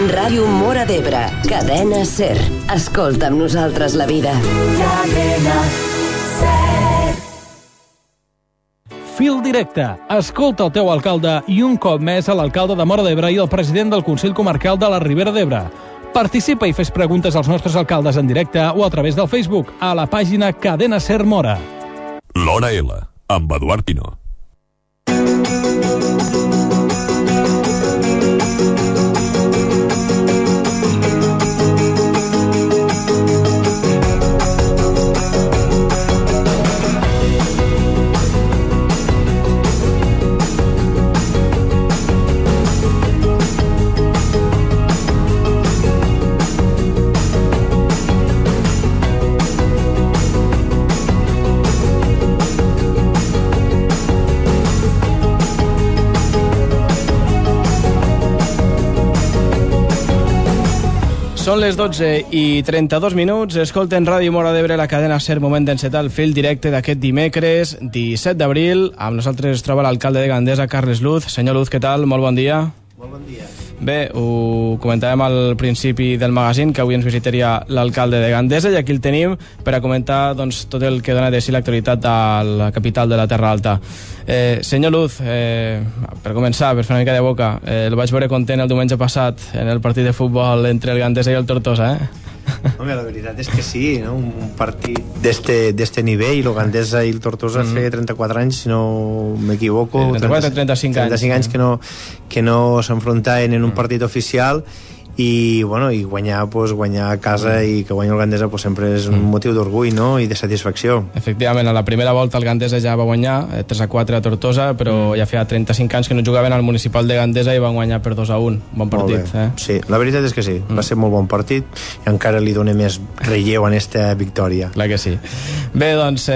Ràdio Móra d'Ebre, Cadena SER. Escolta amb nosaltres la vida. Cadena SER. Fil directe. Escolta el teu alcalde i un cop més a l'alcalde de Móra d'Ebre i el president del Consell Comarcal de la Ribera d'Ebre. Participa i fes preguntes als nostres alcaldes en directe o a través del Facebook a la pàgina Cadena SER Móra. L'Hora L, amb Eduard Pino. Són les 12:32. Escolten Ràdio Móra d'Ebre, la cadena SER, moment d'encetar el fil directe d'aquest dimecres 17 d'abril. Amb nosaltres es troba l'alcalde de Gandesa, Carles Luz. Senyor Luz, què tal? Molt bon dia. Molt bon dia. Bé, ho comentàvem al principi del magazín, que avui ens visitaria l'alcalde de Gandesa, i aquí el tenim per a comentar tot el que dona de si l'actualitat a la capital de la Terra Alta. Senyor Luz, per començar, per fer una mica de boca, el vaig veure content el diumenge passat en el partit de futbol entre el Gandesa i el Tortosa, Home, la veritat és que sí, no? Un partit d'este nivell, el Gandesa i el Tortosa feia 34 anys, si no m'equivoco, 34 o 35 anys que no s'enfrontaven en un partit oficial, i guanyar a casa i que guanyi el Gandesa sempre és un motiu d'orgull, no? I de satisfacció. Efectivament, a la primera volta el Gandesa ja va guanyar 3-4 a Tortosa, però ja feia 35 anys que no jugaven al municipal de Gandesa i van guanyar per 2-1. Bon partit, Sí, la veritat és que sí, va ser molt bon partit i encara li dona més relleu en esta victòria. Clar que sí. Bé, doncs,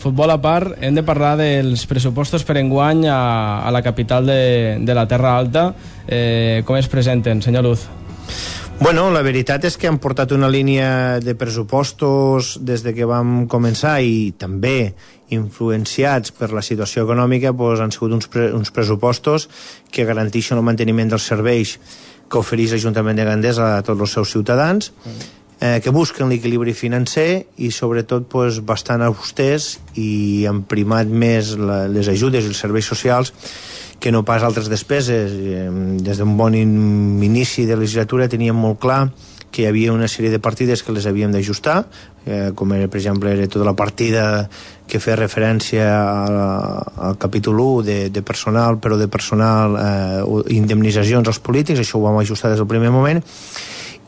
futbol a part, hem de parlar dels pressupostos per enguany a la capital de la Terra Alta. Com es presenten, senyor Luz? Bueno, la veritat és que han portat una línia de pressupostos des de que vam començar, i també influenciats per la situació econòmica, han sigut uns pressupostos que garanteixen el manteniment dels serveis que ofereix l'Ajuntament de Gandesa a tots els seus ciutadans, que busquen l'equilibri financer i sobretot bastant austers, i han primat més les ajudes i els serveis socials que no pas altres despeses. Des d'un bon inici de legislatura teníem molt clar que hi havia una sèrie de partides que les havíem d'ajustar, com era, per exemple, tota la partida que feia referència al capítol 1 de personal, però de personal, indemnitzacions als polítics. Això ho vam ajustar des del primer moment,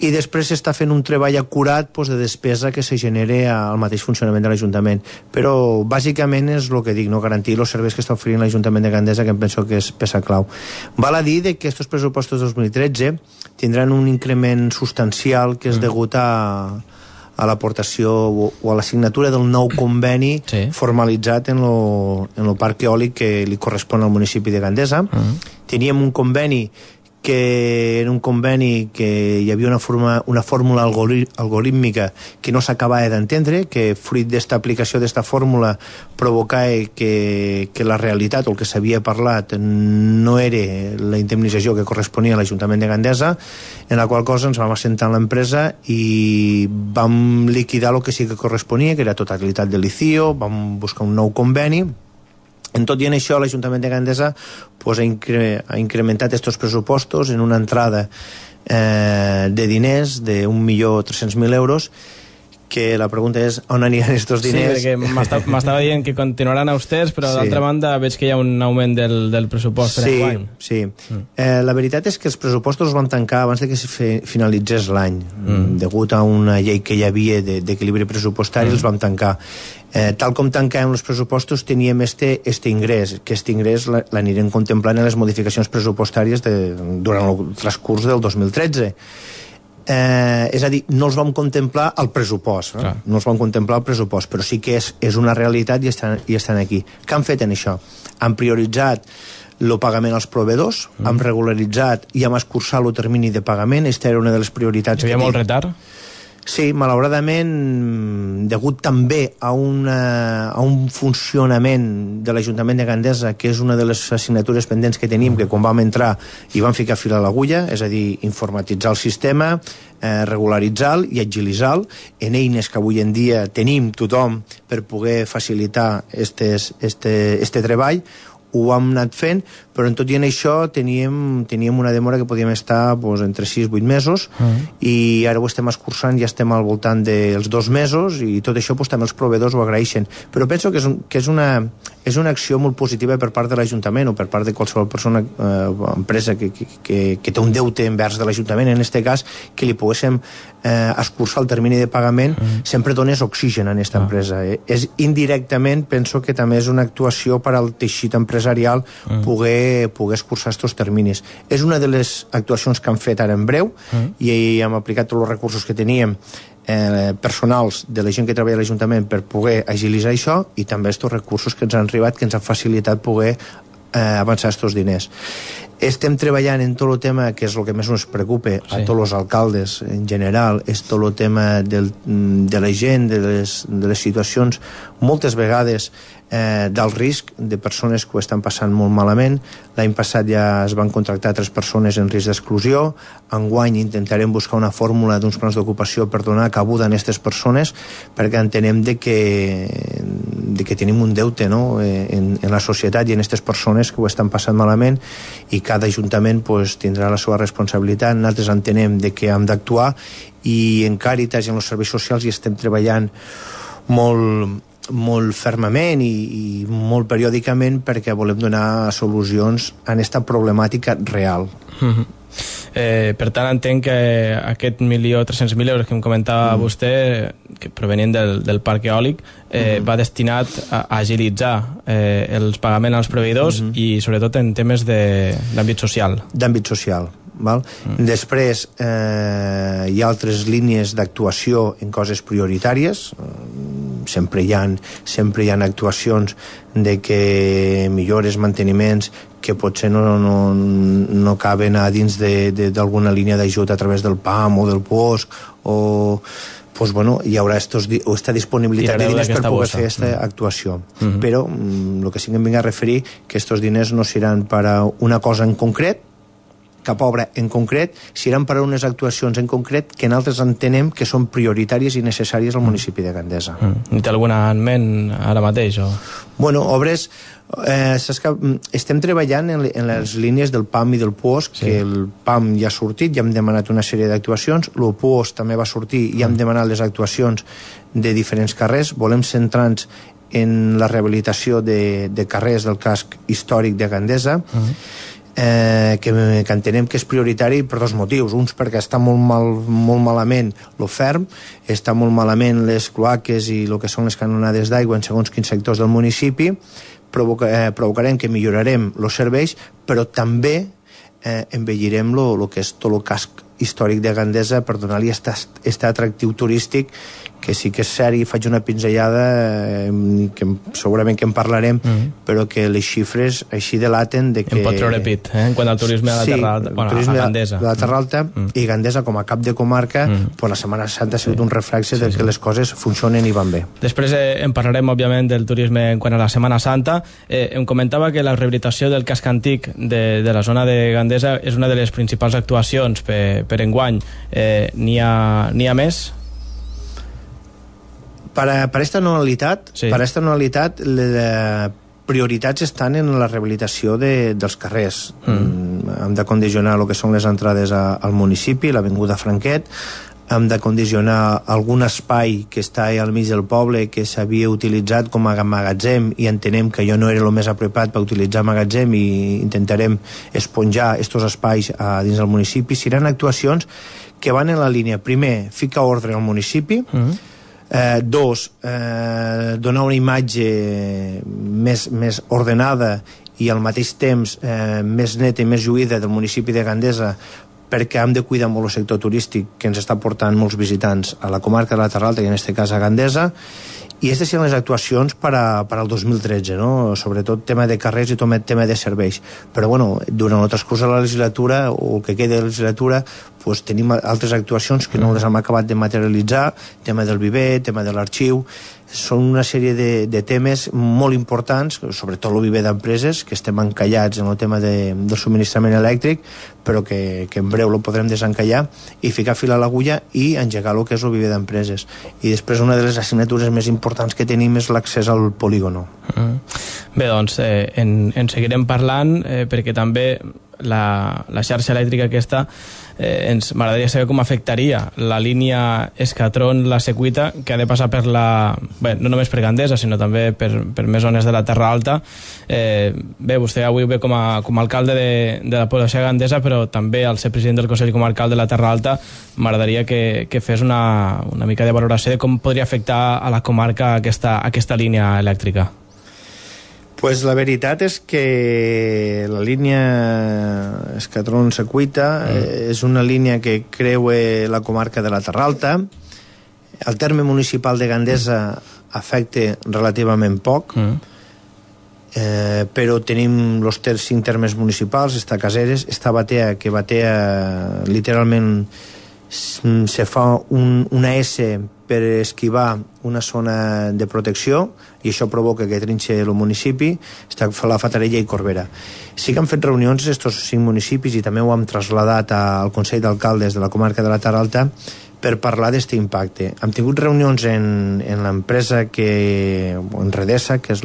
i després s'està fent un treball acurat de despesa que se genere al mateix funcionament de l'Ajuntament. Però bàsicament és el que dic, no? Garantir els serveis que està oferint l'Ajuntament de Gandesa, que em penso que és peça clau. Val a dir que aquests pressupostos 2013 tindran un increment substancial que és degut a l'aportació o a la signatura del nou conveni formalitzat en el parc eòlic que li correspon al municipi de Gandesa. Teníem un conveni que era un conveni que hi havia una fórmula algorítmica que no s'acabava d'entendre, que fruit d'esta aplicació d'esta fórmula provocava que la realitat o el que s'havia parlat no era la indemnització que corresponia a l'Ajuntament de Gandesa, en la qual cosa ens vam assentar en l'empresa i vam liquidar el que sí que corresponia, que era totalitat de l'ICIO, vam buscar un nou conveni. En tot i en això, l'Ajuntament de Gandesa ha incrementat aquests pressupostos en una entrada de diners de 1.300.000 euros, que la pregunta és on aniran aquests diners. Sí, perquè m'estava dient que continuaran austers, però d'altra banda veig que hi ha un augment del pressupost per enguany. Sí. La veritat és que els pressupostos els van tancar abans de que finalitzés l'any. Degut a una llei que hi havia d'equilibri pressupostari, els vam tancar. Tal com tancàvem els pressupostos, teníem este ingrés, que aquest ingrés l'anirem contemplant en les modificacions pressupostàries durant el transcurs del 2013. És a dir, no els vam contemplar al pressupost, no els vam contemplar al pressupost, però sí que és una realitat i estan aquí. Què han fet en això? Han prioritzat el pagament als proveïdors, han regularitzat i han escurçat el termini de pagament. Aquesta era una de les prioritats. Hi havia molt retard? Sí, malauradament, degut també a un funcionament de l'Ajuntament de Gandesa, que és una de les assignatures pendents que tenim, que quan vam entrar hi vam ficar fil a l'agulla, és a dir, informatitzar el sistema, regularitzar-lo i agilitzar-lo en eines que avui en dia tenim tothom per poder facilitar este treball. Ho hem anat fent, però en tot i en això teníem una demora que podíem estar entre 6 i 8 mesos, i ara ho estem escurçant, ja estem al voltant dels 2 mesos, i tot això també els proveïdors ho agraeixen. Però penso que és una acció molt positiva per part de l'Ajuntament o per part de qualsevol persona o empresa que té un deute envers de l'Ajuntament, en aquest cas, que li poguéssim escurçar el termini de pagament, sempre dones oxigen a aquesta empresa. Indirectament penso que també és una actuació per al teixit empresarial poder escurçar aquests terminis. És una de les actuacions que han fet ara en breu, i hem aplicat tots els recursos que teníem personals de la gent que treballa a l'Ajuntament per poder agilitzar això, i també aquests recursos que ens han arribat, que ens han facilitat poder avançar aquests diners. Estem treballant en tot el tema, que és el que més ens preocupa a tots els alcaldes en general, és tot el tema de la gent, de les situacions, moltes vegades d'alt risc, de persones que ho estan passant molt malament. L'any passat ja es van contractar 3 persones en risc d'exclusió. Enguany intentarem buscar una fórmula d'uns plans d'ocupació per donar cabuda a aquestes persones, perquè entenem que tenim un deute, no? en la societat i en aquestes persones que ho estan passant malament, i cada ajuntament tindrà la seva responsabilitat. Nosaltres entenem que hem d'actuar, i en Càritas i en els serveis socials hi estem treballant molt fermament i molt periòdicament, perquè volem donar solucions a aquesta problemàtica real. Per tant, entenc que aquest 1.300.000 euros que em comentava vostè, que provenien del parc eòlic, va destinat a agilitzar els pagaments als proveïdors i sobretot en temes d'àmbit social. D'àmbit social. Val? Després hi ha altres línies d'actuació en coses prioritàries. Sempre hi ha actuacions de que millores, manteniments que potser no caben a dins d'alguna línia d'ajut a través del PAM o del POSC, o hi haurà aquesta disponibilitat de diners per poder fer aquesta actuació. Però el que sí que em vinc a referir, que aquests diners no seran per a una cosa en concret, cap obra en concret, seran per a unes actuacions en concret que nosaltres entenem que són prioritàries i necessàries al municipi de Gandesa. Té alguna en ment ara mateix? Bueno, obres... estem treballant en les línies del PAM i del POSC, que el PAM ja ha sortit, ja hem demanat una sèrie d'actuacions, el POSC també va sortir i hem demanat les actuacions de diferents carrers. Volem centrar-nos en la rehabilitació de carrers del casc històric de Gandesa, que entenem que és prioritari per 2 motius. Uns, perquè està molt malament el ferm, està molt malament les cloaques i el que són les canonades d'aigua en segons quins sectors del municipi. Provocarem que millorarem els serveis, però també embellirem el que és tot el casc històric de Gandesa per donar-li aquest atractiu turístic, que sí que és cert, i faig una pinzellada que segurament que en parlarem, però que les xifres així delaten de que... En pot treure pit, en quant al turisme a la Terra Alta, a Gandesa. De la Terra Alta, i Gandesa com a cap de comarca, la Setmana Santa ha sigut un reflexe de que les coses funcionen i van bé. Després en parlarem, òbviament, del turisme en quant a la Setmana Santa. Em comentava que la rehabilitació del casc antic de la zona de Gandesa és una de les principals actuacions per enguany. N'hi ha més? Per aquesta anualitat, les prioritats estan en la rehabilitació dels carrers. Hem de condicionar el que són les entrades al municipi, l'avinguda Franquet, hem de condicionar algun espai que està al mig del poble que s'havia utilitzat com a magatzem, i entenem que allò no era el més apropiat per utilitzar magatzem, i intentarem esponjar aquests espais dins del municipi. Seran actuacions que van en la línia, primer, ficar ordre al municipi, 2, donar una imatge més ordenada i al mateix temps més neta i més lluïda del municipi de Gandesa, perquè hem de cuidar molt el sector turístic que ens està portant molts visitants a la comarca de la Terra Alta i en aquest cas a Gandesa, i aquestes són les actuacions per al 2013, no? Sobretot tema de carrers i tema de serveis. Però bueno, durant el transcurs de la legislatura o el que queda de la legislatura pues, tenim altres actuacions que no les hem acabat de materialitzar, tema del viver, tema de l'arxiu. Són una sèrie de temes molt importants, sobretot el viver d'empreses, que estem encallats en el tema del subministrament elèctric, però que en breu el podrem desencallar i ficar fil a l'agulla i engegar el que és el viver d'empreses. I després una de les assignatures més importants que tenim és l'accés al polígono. Bé, doncs en seguirem parlant perquè també la xarxa elèctrica aquesta ens m'agradaria saber com afectaria la línia Escatron-La Secuita, que ha de passar per bé, no només per Gandesa sinó també per més zones de la Terra Alta. Bé, vostè avui ve com a alcalde de la població de Gandesa, però també al ser president del Consell Comarcal de la Terra Alta m'agradaria que fes una mica de valoració de com podria afectar a la comarca aquesta línia elèctrica. Pues la veritat és que la línia Escatron-Secuita és una línia que creua la comarca de la Terra Alta. El terme municipal de Gandesa afecta relativament poc, però tenim els 5 termes municipals, està Caseres, està Batea, que Batea literalment se fa una S per esquivar una zona de protecció i això provoca que trinxe el municipi, està la Fatarella i Corbera. Sí que han fet reunions aquests 5 municipis i també ho hem trasladat al Consell d'Alcaldes de la comarca de la Terra Alta per parlar d'aquest impacte. Hem tingut reunions en l'empresa en Redesa, que és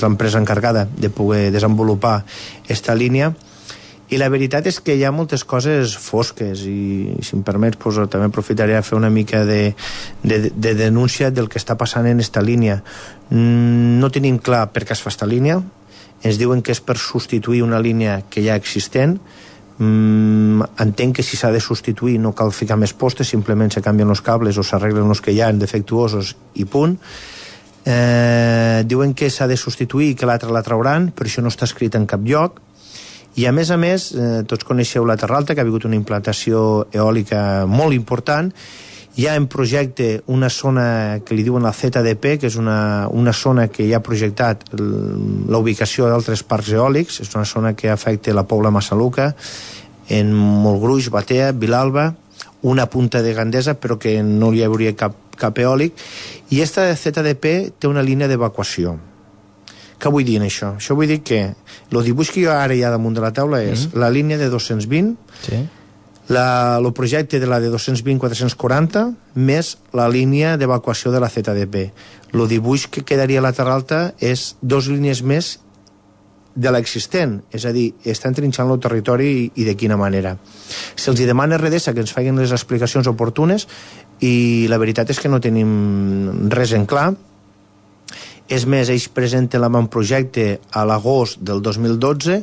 l'empresa encarregada de poder desenvolupar aquesta línia, i la veritat és que hi ha moltes coses fosques i, si em permets, pues, també aprofitaré a fer una mica de denúncia del que està passant en aquesta línia. No tenim clar per què es fa aquesta línia. Ens diuen que és per substituir una línia que ja existent. Entenc que si s'ha de substituir no cal ficar més postes, simplement se canvien els cables o s'arreglen els que hi ha defectuosos i punt. Diuen que s'ha de substituir i que l'altra la trauran, però això no està escrit en cap lloc. I a més, tots coneixeu la Terra Alta, que ha hagut una implantació eòlica molt important. Hi ha en projecte una zona que li diuen la ZDP, que és una zona que ja ha projectat la ubicació d'altres parcs eòlics. És una zona que afecta la Pobla Massaluca, en Montgruix, Batea, Vilalba, una punta de Gandesa, però que no hi hauria cap eòlic. I aquesta ZDP té una línia d'evacuació. Què vull dir en això? Això vull dir que el dibuix que jo ara hi ha damunt de la taula és la línia de 220, el projecte de la de 220-440, més la línia d'evacuació de la ZDP. El dibuix que quedaria a la Terra Alta és 2 línies més de l'existent, és a dir, estan trinxant el territori i de quina manera. Se'ls demana a Redesa que ens facin les explicacions oportunes i la veritat és que no tenim res en clar. És més, ells presenten l'avantprojecte a l'agost del 2012.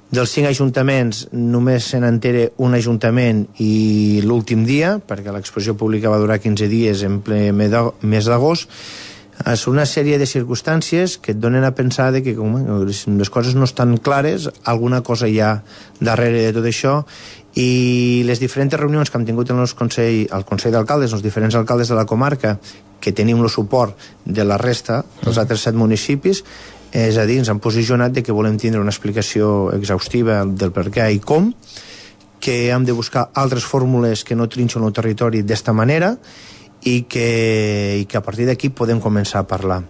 Dels 5 ajuntaments només se n'entera un ajuntament i l'últim dia, perquè l'exposició pública va durar 15 dies en ple mes d'agost. És una sèrie de circumstàncies que et donen a pensar que les coses no estan clares, alguna cosa hi ha darrere de tot això, i les diferents reunions que hem tingut al Consell d'Alcaldes, els diferents alcaldes de la comarca, que tenim el suport de la resta dels altres 7 municipis, és a dir, ens han posicionat que volem tindre una explicació exhaustiva del per què i com, que hem de buscar altres fórmules que no trinxen el territori d'esta manera i que a partir d'aquí podem començar a parlar.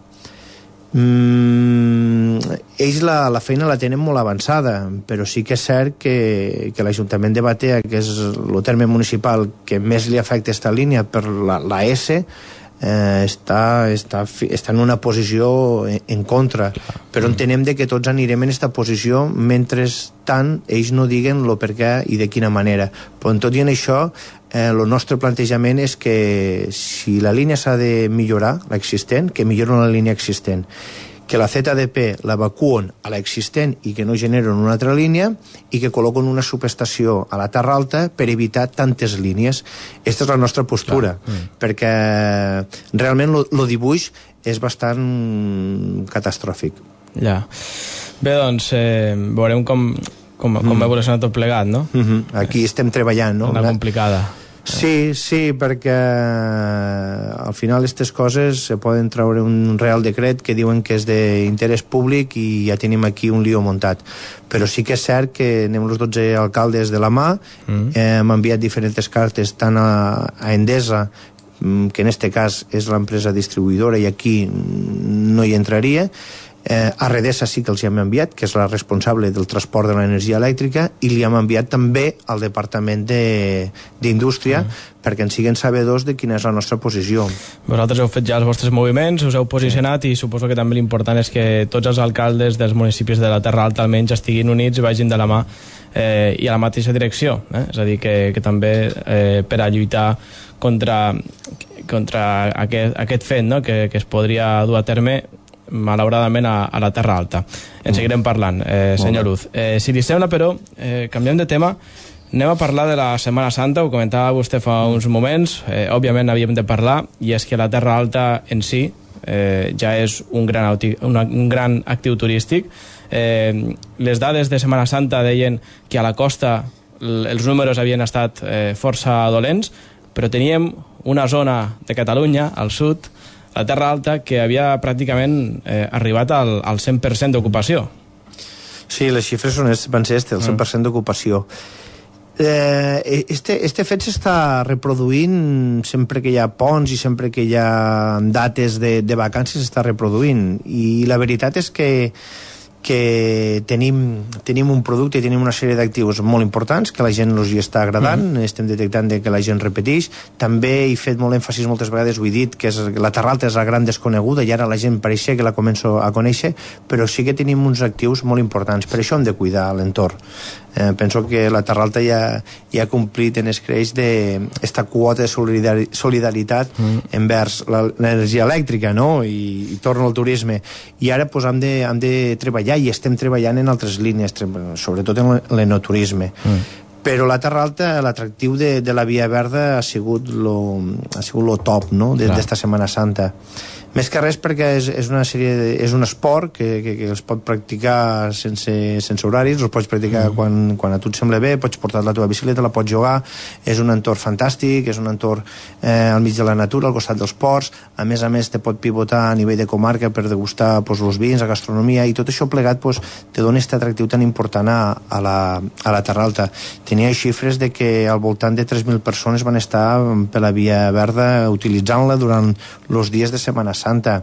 Ells la feina la tenen molt avançada, però sí que és cert que l'Ajuntament de Batea, que és el terme municipal que més li afecta aquesta línia per la S, està en una posició en contra, però entenem que tots anirem en aquesta posició mentre tant ells no diguen el per què i de quina manera. Però tot i en això el nostre plantejament és que si la línia s'ha de millorar, l'existent, que milloren la línia existent, que la ZDP l'evacuen a l'existent i que no generen una altra línia i que col·loquen una subestació a la Terra Alta per evitar tantes línies. Aquesta és la nostra postura, perquè realment el dibuix és bastant catastròfic. Ja. Bé, doncs, veurem com com ha evolucionat tot plegat, no? Aquí estem treballant, no? Una complicada. Sí, perquè al final aquestes coses se poden treure un real decret que diuen que és d'interès públic i ja tenim aquí un lío muntat. Però sí que és cert que anem els 12 alcaldes de la mà, hem enviat diferents cartes tant a Endesa, que en este cas és l'empresa distribuïdora i aquí no hi entraria, a Redesa sí que els hi hem enviat, que és la responsable del transport de l'energia elèctrica, i li hem enviat també al Departament d'Indústria perquè en siguin sabedors de quina és la nostra posició. Vosaltres heu fet ja els vostres moviments, us heu posicionat i suposo que també l'important és que tots els alcaldes dels municipis de la Terra Alta almenys estiguin units i vagin de la mà i a la mateixa direcció, és a dir, que també per a lluitar contra aquest fet, no? que es podria dur a terme malauradament a la Terra Alta. En seguirem parlant, senyor Luz. Si li sembla, però, canviem de tema, anem a parlar de la Setmana Santa, ho comentava vostè fa uns moments, òbviament havíem de parlar, i és que la Terra Alta en si ja és un gran actiu turístic. Les dades de Setmana Santa deien que a la costa els números havien estat força dolents, però teníem una zona de Catalunya, al sud, la Terra Alta, que havia pràcticament arribat al 100% d'ocupació. Sí, les xifres van ser el 100% d'ocupació. Este fet s'està reproduint sempre que hi ha ponts i sempre que hi ha dates de vacances, s'està reproduint. I la veritat és que tenim un producte i tenim una sèrie d'actius molt importants que la gent els hi està agradant, estem detectant que la gent repeteix. També he fet molt èmfasis moltes vegades, ho he dit, que la Terra Alta és la gran desconeguda i ara la gent pareixia que la començo a conèixer, però sí que tenim uns actius molt importants, per això hem de cuidar l'entorn. Penso que la Terra Alta ja ha complit en escreix d'esta quota de solidaritat envers l'energia elèctrica, no? I torno al turisme. I ara hem de treballar, i estem treballant en altres línies, sobretot en l'enoturisme. Però la Terra Alta, l'atractiu de la Via Verda ha sigut lo top, no?, d'esta Setmana Santa. Més que res perquè és un esport que es pot practicar sense horaris, el pots practicar quan a tu et sembla bé, pots portar la teva bicicleta, la pots jugar, és un entorn fantàstic, és un entorn al mig de la natura, al costat dels ports, a més te pot pivotar a nivell de comarca per degustar els vins, la gastronomia, i tot això plegat te dona aquest atractiu tan important a la Terra Alta. Tenia xifres de que al voltant de 3.000 persones van estar per la Via Verda utilitzant-la durant els dies de Setmana Santa.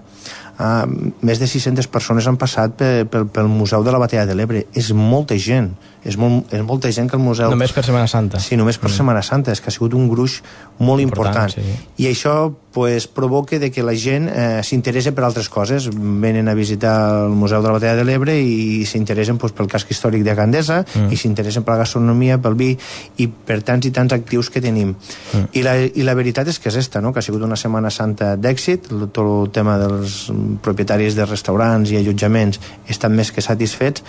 Més de 600 persones han passat pel Museu de la Batalla de l'Ebre. És molta gent. És molta gent que el museu... Només per Setmana Santa. Sí, només per Setmana Santa. És que ha sigut un gruix molt important. Sí. I això provoca que la gent s'interessa per altres coses. Venen a visitar el Museu de la Batalla de l'Ebre i s'interessen pel casc històric de Gandesa, i s'interessen per la gastronomia, pel vi, i per tants i tants actius que tenim. I la veritat és que és esta, no?, que ha sigut una Setmana Santa d'èxit. Tot el tema dels propietaris de restaurants i allotjaments estan més que satisfets,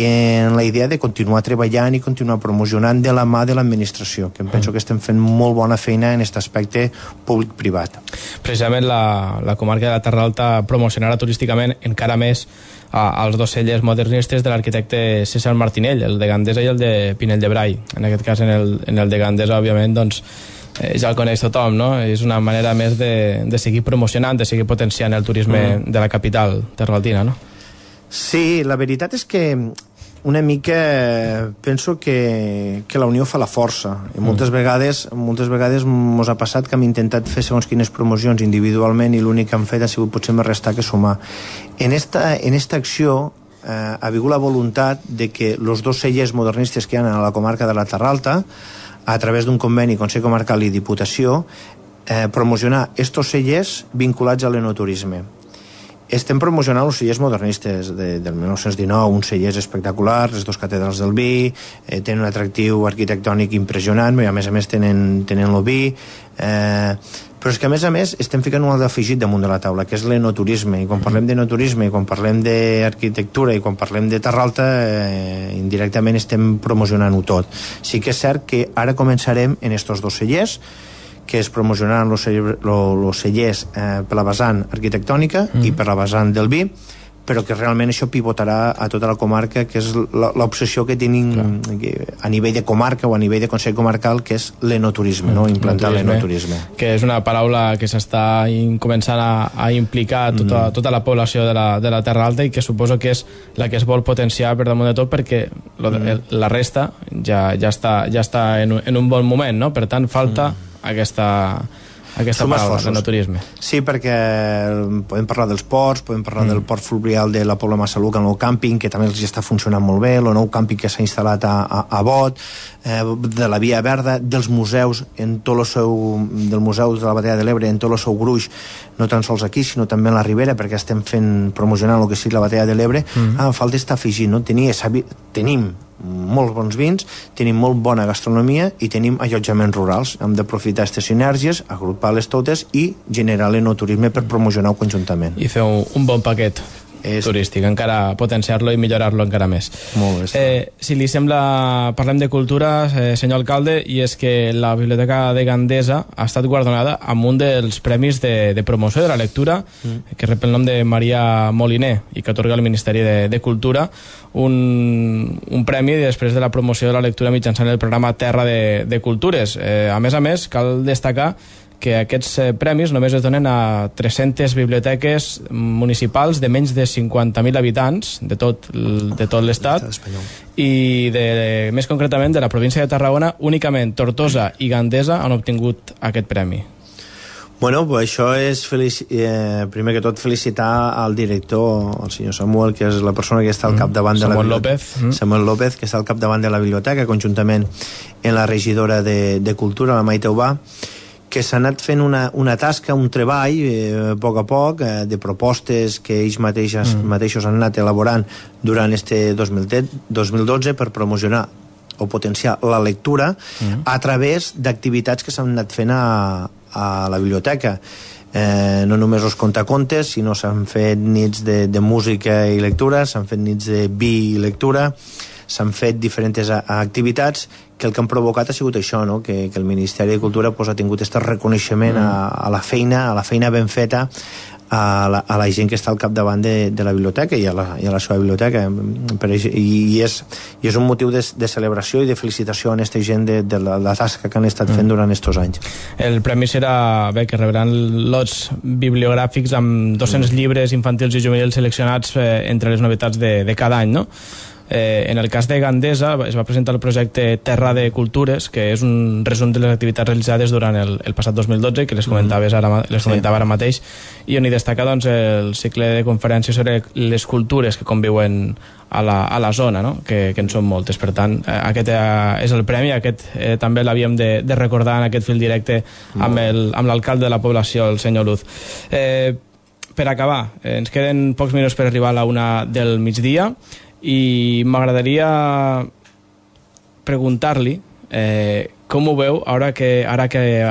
en la idea de continuar treballant i continuar promocionant de la mà de l'administració, que em penso que estem fent molt bona feina en aquest aspecte públic-privat. Precisament la comarca de la Terra Alta promocionarà turísticament encara més als dos cellers modernistes de l'arquitecte César Martinell, el de Gandesa i el de Pinell de Brai. En aquest cas, en el de Gandesa, òbviament, doncs, ja el coneix tothom, no? És una manera més de seguir promocionant, de seguir potenciant el turisme de la capital terraltina, no? Sí, la veritat és que una mica penso que la unió fa la força, i moltes vegades mos ha passat que hem intentat fer segons quines promocions individualment i l'únic que hem fet ha sigut potser més restar que sumar. En esta acció ha vingut la voluntat de que els dos cellers modernistes que hi ha a la comarca de la Terra Alta, a través d'un conveni Consell Comarcal i Diputació, promocionar estos cellers vinculats a l'enoturisme. Estem promocionant els cellers modernistes del 1919, uns cellers espectaculars, les dos catedrals del vi, tenen un atractiu arquitectònic impressionant, i a més tenen el vi, però és que a més estem ficant un altre afegit damunt de la taula, que és l'enoturisme, i quan parlem d'enoturisme, i quan parlem d'arquitectura, i quan parlem de Terra Alta, indirectament estem promocionant-ho tot. Sí que és cert que ara començarem en estos dos cellers, que es promocionaran els cellers per la vessant arquitectònica i per la vessant del vi, però que realment això pivotarà a tota la comarca, que és l'obsessió que tenim a nivell de comarca o a nivell de Consell Comarcal, que és l'enoturisme, no? Implantar l'enoturisme. Que és una paraula que s'està començant a implicar tota la població de la Terra Alta, i que suposo que és la que es vol potenciar per damunt de tot, perquè la resta ja està en un bon moment, no? Per tant, falta aquesta paraula, l'enoturisme. Sí, perquè podem parlar dels ports, podem parlar del port fluvial de la Pobla Massaluca, el nou càmping, que també els està funcionant molt bé, el nou càmping que s'ha instal·lat a Bot, de la Via Verda, dels museus, del Museu de la Batalla de l'Ebre, en tot el seu gruix, no tan sols aquí, sinó també a la Ribera, perquè estem promocionant el que sigui la Batalla de l'Ebre. Falta estar afegint, no? Tenim molts bons vins, tenim molt bona gastronomia i tenim allotjaments rurals. Hem d'aprofitar aquestes sinergies, agrupar-les totes i generar l'enoturisme per promocionar-ho conjuntament. I fer un bon paquet turístic, encara potenciar-lo i millorar-lo encara més. Molt bé. Si li sembla, parlem de cultura, senyor alcalde, i és que la Biblioteca de Gandesa ha estat guardonada amb un dels premis de promoció de la lectura, que rep el nom de Maria Moliner i que atorga el Ministeri de Cultura, un premi després de la promoció de la lectura mitjançant el programa Terra de Cultures. A més, cal destacar que aquests premis només es donen a 300 biblioteques municipals de menys de 50.000 habitants de tot l'estat, i més concretament de la província de Tarragona únicament Tortosa i Gandesa han obtingut aquest premi. Bueno, pues això és primer que tot felicitar al director, el senyor Samuel, que és la persona que està al capdavant de la biblioteca. Samuel López, que està al capdavant de la biblioteca, conjuntament amb la regidora de Cultura, la Maite Ubà, que s'ha anat fent una tasca, un treball, a poc, de propostes que ells mateixos han anat elaborant durant este 2012 per promocionar o potenciar la lectura a través d'activitats que s'han anat fent a la biblioteca. No només els contacontes, sinó s'han fet nits de música i lectura, s'han fet nits de vi i lectura, s'han fet diferents activitats que el que han provocat ha sigut això, no? Que el Ministeri de Cultura ha tingut aquest reconeixement a la feina ben feta a la gent que està al capdavant de la biblioteca i a la seva biblioteca, i és un motiu de celebració i de felicitació a aquesta gent de la tasca que han estat fent durant aquests anys. El premi serà que rebran lots bibliogràfics amb 200 llibres infantils i juvenils seleccionats entre les novetats de cada any, no? En el cas de Gandesa es va presentar el projecte Terra de Cultures, que és un resum de les activitats realitzades durant el passat 2012, que les comentava ara mateix, i on hi destaca el cicle de conferències sobre les cultures que conviuen a la zona, no? Que en són moltes. Per tant, aquest és el premi, aquest també l'havíem de recordar en aquest fil directe amb l'alcalde de la població, el senyor Luz. Per acabar, ens queden pocs minuts per arribar a la 1 del migdia, i m'agradaria preguntar-li com ho veu ara que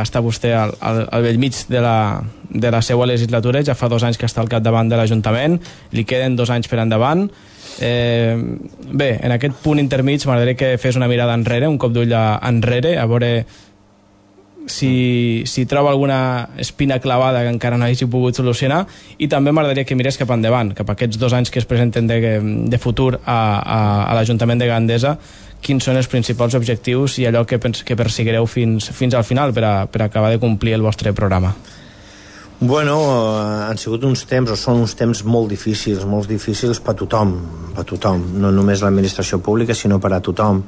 està vostè al bell mig de la seva legislatura. Ja fa 2 anys que està al capdavant de l'Ajuntament, li queden 2 anys per endavant. Bé, en aquest punt intermig m'agradaria que fes una mirada enrere, un cop d'ull enrere, a veure si troba alguna espina clavada que encara no hagi pogut solucionar, i també m'agradaria que mirés cap endavant, cap a aquests 2 anys que es presenten de futur a l'Ajuntament de Gandesa. Quins són els principals objectius i allò que perseguireu fins al final per acabar de complir el vostre programa? Bueno, han sigut uns temps, o són uns temps molt difícils per tothom, no només l'administració pública, sinó per a tothom.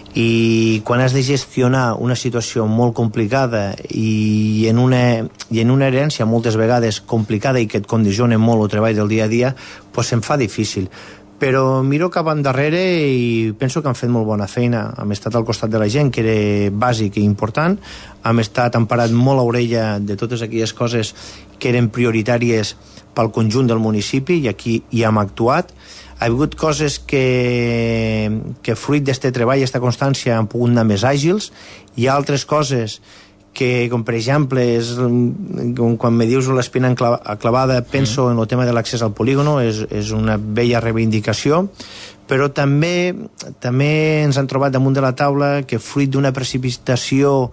I quan has de gestionar una situació molt complicada i en una herència moltes vegades complicada i que et condiciona molt el treball del dia a dia, doncs se'n fa difícil. Però miro cap endarrere i penso que han fet molt bona feina. Hem estat al costat de la gent, que era bàsic i important. Hem parat molt a orella de totes aquelles coses que eren prioritàries pel conjunt del municipi, i aquí hi hem actuat. Ha hagut coses que fruit d'aquest treball i aquesta constància han pogut anar més àgils. Hi ha altres coses que, com per exemple, quan me dius l'espina clavada, penso en el tema de l'accés al polígono, és una bella reivindicació, però també ens han trobat damunt de la taula que fruit d'una precipitació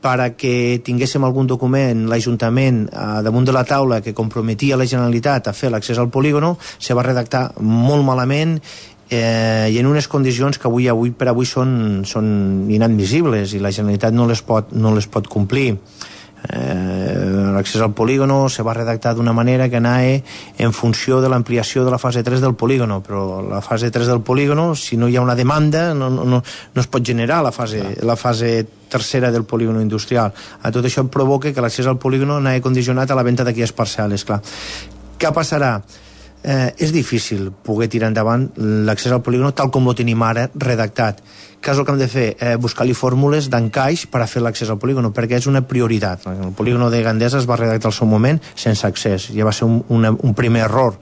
perquè tinguéssim algun document, l'Ajuntament, damunt de la taula que comprometia la Generalitat a fer l'accés al polígono, se va redactar molt malament i en unes condicions que avui per avui són inadmissibles i la Generalitat no les pot complir. L'accés al polígono se va redactar d'una manera que anava en funció de l'ampliació de la fase 3 del polígono, però la fase 3 del polígono, si no hi ha una demanda, no es pot generar la fase tercera del polígono industrial. A tot això provoca que l'accés al polígono anava condicionat a la venda d'aquelles parcel·les, clar. Què passarà? És difícil poder tirar endavant l'accés al polígono tal com ho tenim ara redactat. Què és el que hem de fer? Buscar-li fórmules d'encaix per a fer l'accés al polígono, perquè és una prioritat. El polígono de Gandesa es va redactar al seu moment sense accés, ja va ser un primer error.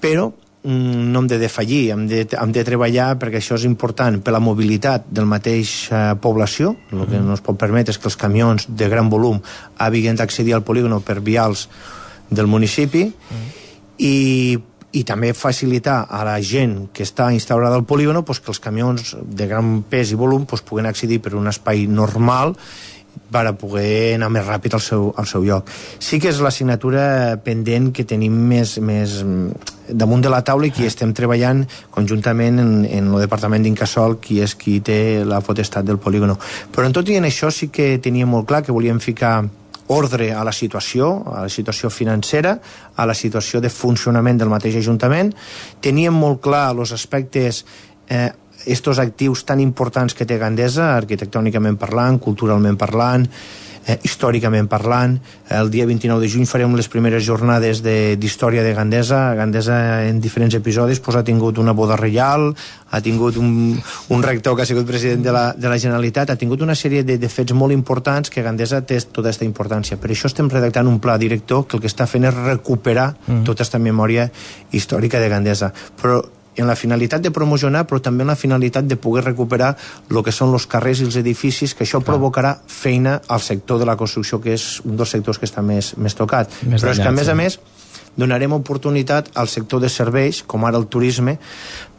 Però no hem de defallir, hem de treballar perquè això és important per la mobilitat del mateix població. El que no es pot permetre és que els camions de gran volum hagin d'accedir al polígono per vials del municipi i també facilitar a la gent que està instaurada al polígono que els camions de gran pes i volum puguen accedir per un espai normal per a poder anar més ràpid al seu lloc. Sí que és l'assignatura pendent que tenim més damunt de la taula i que estem treballant conjuntament en el Departament d'Incasòl, qui és qui té la potestat del polígono. Però en tot i en això sí que teníem molt clar que volíem ficar ordre a la situació financera, a la situació de funcionament del mateix Ajuntament. Teníem molt clar els aspectes, estos actius tan importants que té Gandesa, arquitectònicament parlant, culturalment parlant, històricament parlant. El dia 29 de juny farem les primeres jornades d'història de Gandesa. Gandesa en diferents episodis ha tingut una boda reial, ha tingut un rector que ha sigut president de la Generalitat, ha tingut una sèrie de fets molt importants que Gandesa té tota aquesta importància. Per això estem redactant un pla director que el que està fent és recuperar tota aquesta memòria històrica de Gandesa. Però en la finalitat de promocionar, però també en la finalitat de poder recuperar el que són els carrers i els edificis, que això provocarà feina al sector de la construcció, que és un dels sectors que està més tocat. Però és que, a més, donarem oportunitat al sector de serveis, com ara el turisme,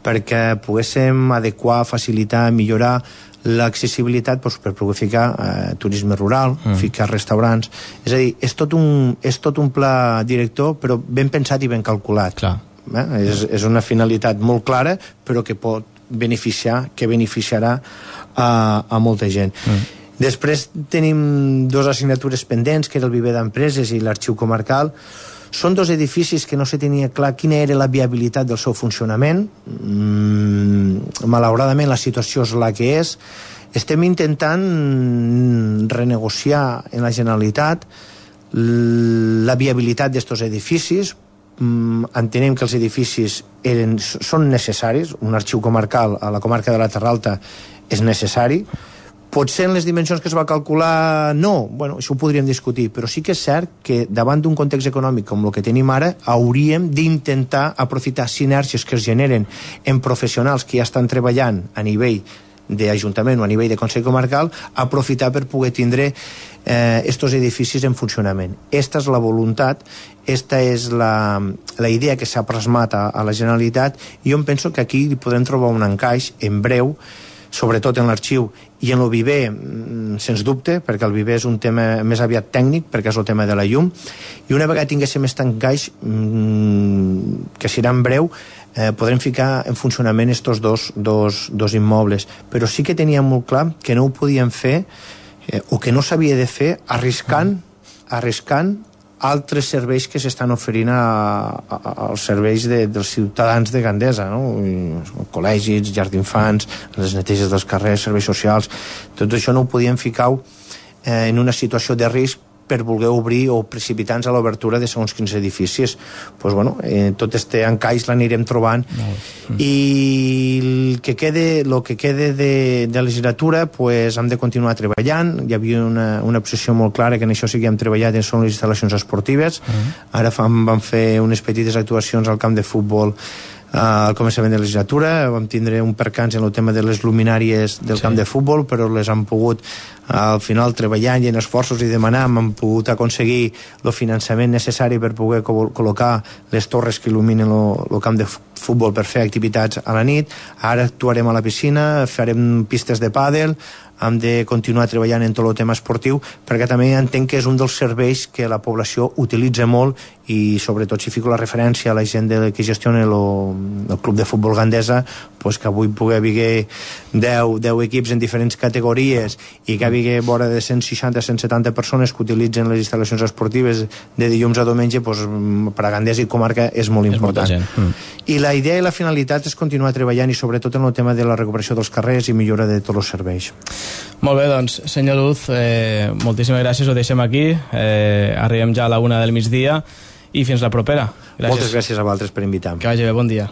perquè poguéssim adequar, facilitar, millorar l'accessibilitat per poder ficar turisme rural, ficar restaurants. És a dir, és tot un pla director, però ben pensat i ben calculat. Clar. És una finalitat molt clara, però que pot beneficiar, que beneficiarà a molta gent. Després tenim dues assignatures pendents, que era el viver d'empreses i l'arxiu comarcal. Són dos edificis que no se tenia clar quina era la viabilitat del seu funcionament. Malauradament la situació és la que és. Estem intentant renegociar en la Generalitat la viabilitat d'estos edificis. Entenem que els edificis són necessaris. Un arxiu comarcal a la comarca de la Terra Alta és necessari. Potser en les dimensions que es va calcular no, bueno, això ho podríem discutir, però sí que és cert que davant d'un context econòmic com el que tenim ara hauríem d'intentar aprofitar sinergies que es generen en professionals que ja estan treballant a nivell d'Ajuntament o a nivell de Consell Comarcal, aprofitar per poder tindre estos edificis en funcionament. Esta és la voluntat, esta és la idea que s'ha plasmat a la Generalitat, i jo em penso que aquí podem trobar un encaix en breu, sobretot en l'arxiu i en el viver, sens dubte, perquè el viver és un tema més aviat tècnic, perquè és el tema de la llum, i una vegada tinguéssim aquest encaix, que serà en breu, podrem ficar en funcionament estos dos immobles. Però sí que teníem molt clar que no ho podíem fer, o que no s'havia de fer, arriscant altres serveis que s'estan oferint als serveis dels ciutadans de Gandesa, no? Col·legis, llars d'infants, les neteges dels carrers, serveis socials. Tot això no ho podíem ficar en una situació de risc per voler obrir o precipitar-nos a l'obertura de segons quins edificis. Pues, bueno, tot este encaix l'anirem trobant. I el que quede de legislatura, pues, hem de continuar treballant. Hi havia una posició molt clara que en això sí que hem treballat, són les instal·lacions esportives. Ara vam fer unes petites actuacions al camp de futbol al començament de la legislatura. Vam tindre un percanç en el tema de les luminàries del camp de futbol, però les han pogut al final treballant i en esforços i demanant han pogut aconseguir el finançament necessari per poder col·locar les torres que il·luminen el camp futbol per fer activitats a la nit, ara actuarem a la piscina, farem pistes de pàdel, hem de continuar treballant en tot el tema esportiu, perquè també entenc que és un dels serveis que la població utilitza molt, i sobretot si fico la referència a la gent que gestiona el club de futbol Gandesa, pues que avui pugui haver 10 equips en diferents categories i que hi hagi vora de 160-170 persones que utilitzen les instal·lacions esportives de dilluns a diumenge, pues, per a Gandesa i comarca és molt important. I la idea i la finalitat és continuar treballant, i sobretot en el tema de la recuperació dels carrers i millora de tots els serveis. Molt bé, doncs, senyor Luz, moltíssimes gràcies, ho deixem aquí, arribem ja a la 1 del migdia i fins la propera. Gràcies. Moltes gràcies a vosaltres per invitar-me. Que vagi bé, bon dia.